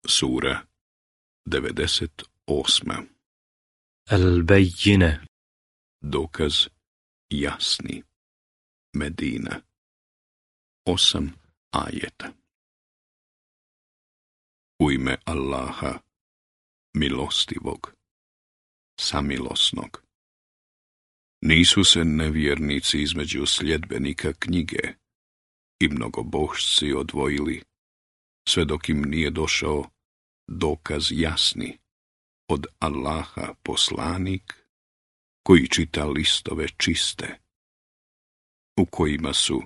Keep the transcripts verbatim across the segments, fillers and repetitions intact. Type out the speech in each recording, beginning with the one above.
Sura devedeset osma. Al-Bajjine. Dokaz jasni. Medina. Osam ajeta. U ime Allaha, milostivog, samilosnog. Nisu se nevjernici između sljedbenika knjige i mnogobožci odvojili, sve dok im nije došao dokaz jasni od Allaha poslanik koji čita listove čiste, u kojima su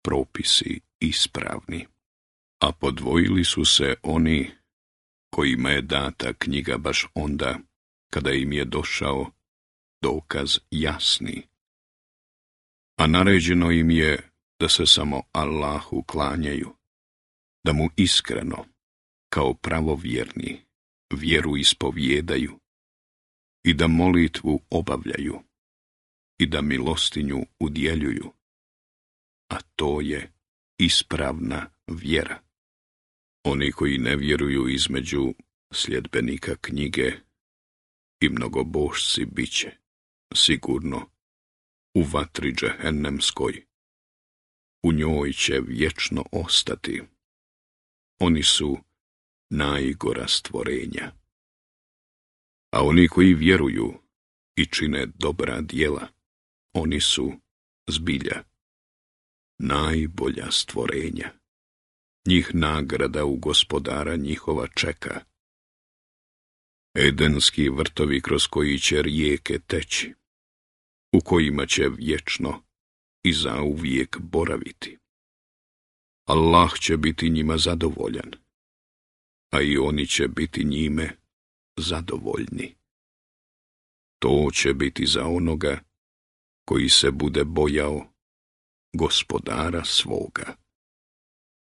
propisi ispravni. A podvojili su se oni kojima je data knjiga baš onda kada im je došao dokaz jasni. A naređeno im je da se samo Allahu klanjaju, da mu iskreno, kao pravovjerni, vjeru ispovjedaju i da molitvu obavljaju i da milostinju udjeljuju, a to je ispravna vjera. Oni koji ne vjeruju između sljedbenika knjige i mnogobožci biće, sigurno, u vatri džehennemskoj. U njoj će vječno ostati. Oni su najgora stvorenja. A oni koji vjeruju i čine dobra djela, oni su zbilja najbolja stvorenja. Njih nagrada u gospodara njihova čeka. Edenski vrtovi kroz koji će rijeke teći, u kojima će vječno i zauvijek boraviti. Allah će biti njima zadovoljan, a i oni će biti njime zadovoljni. To će biti za onoga koji se bude bojao gospodara svoga.